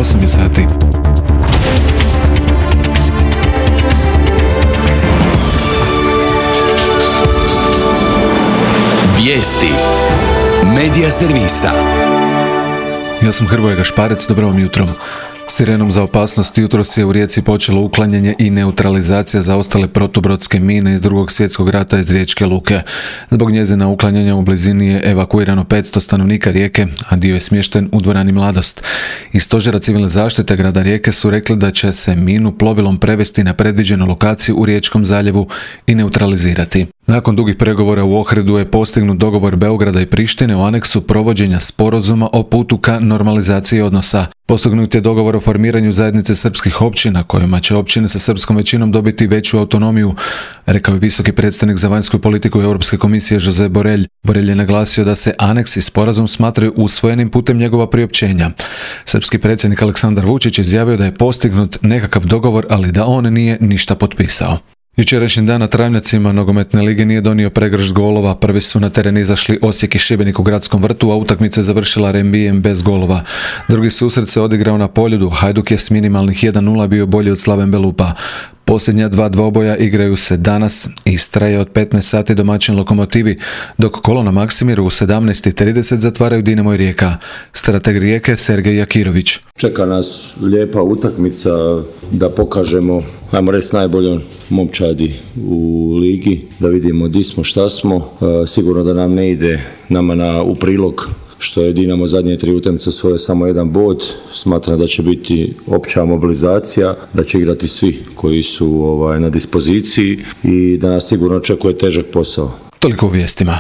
8 je sati. Vijesti Medija servisa. Ja sam Hrvoje Gašparec, dobro vam jutro. Sirenom za opasnost jutros je u Rijeci počelo uklanjanje i neutralizacija zaostale protubrodske mine iz Drugog svjetskog rata iz Riječke luke. Zbog njezina uklanjanja u blizini je evakuirano 500 stanovnika Rijeke, a dio je smješten u dvorani Mladost. Iz stožera civilne zaštite grada Rijeke su rekli da će se minu plovilom prevesti na predviđenu lokaciju u Riječkom zaljevu i neutralizirati. Nakon dugih pregovora u Ohridu je postignut dogovor Beograda i Prištine o aneksu provođenja sporazuma o putu ka normalizaciji odnosa. Postignut je dogovor o formiranju zajednice srpskih općina, kojima će općine sa srpskom većinom dobiti veću autonomiju, rekao je visoki predstavnik za vanjsku politiku Europske komisije Josep Borrell. Borrell je naglasio da se aneks i sporazum smatraju usvojenim putem njegova priopćenja. Srpski predsjednik Aleksandar Vučić izjavio da je postignut nekakav dogovor, ali da on nije ništa potpisao. Jučerašnji dan na Travnjacima nogometne lige nije donio pregršt golova. Prvi su na teren izašli Osijek i Šibenik u Gradskom vrtu, a utakmica je završila rembijem bez golova. Drugi susret se odigrao na Poljudu. Hajduk je s minimalnih 1:0 bio bolji od Slaven Belupa. Posljednja dva dvoboja igraju se danas. Istra je od 15 sati domaćin Lokomotivi, dok kolo na Maksimiru u 17:30 zatvaraju Dinamo i Rijeka. Strateg Rijeke Sergej Jakirović. Čeka nas lijepa utakmica da pokažemo, ajmo reći, najboljom momčadi u ligi, da vidimo di smo, šta smo. Sigurno da nam ne ide nama u prilog što je Dinamo zadnje 3 utakmice svoje samo 1 bod. Smatram da će biti opća mobilizacija, da će igrati svi koji su na dispoziciji i da nas sigurno očekuje težak posao. Toliko u vijestima.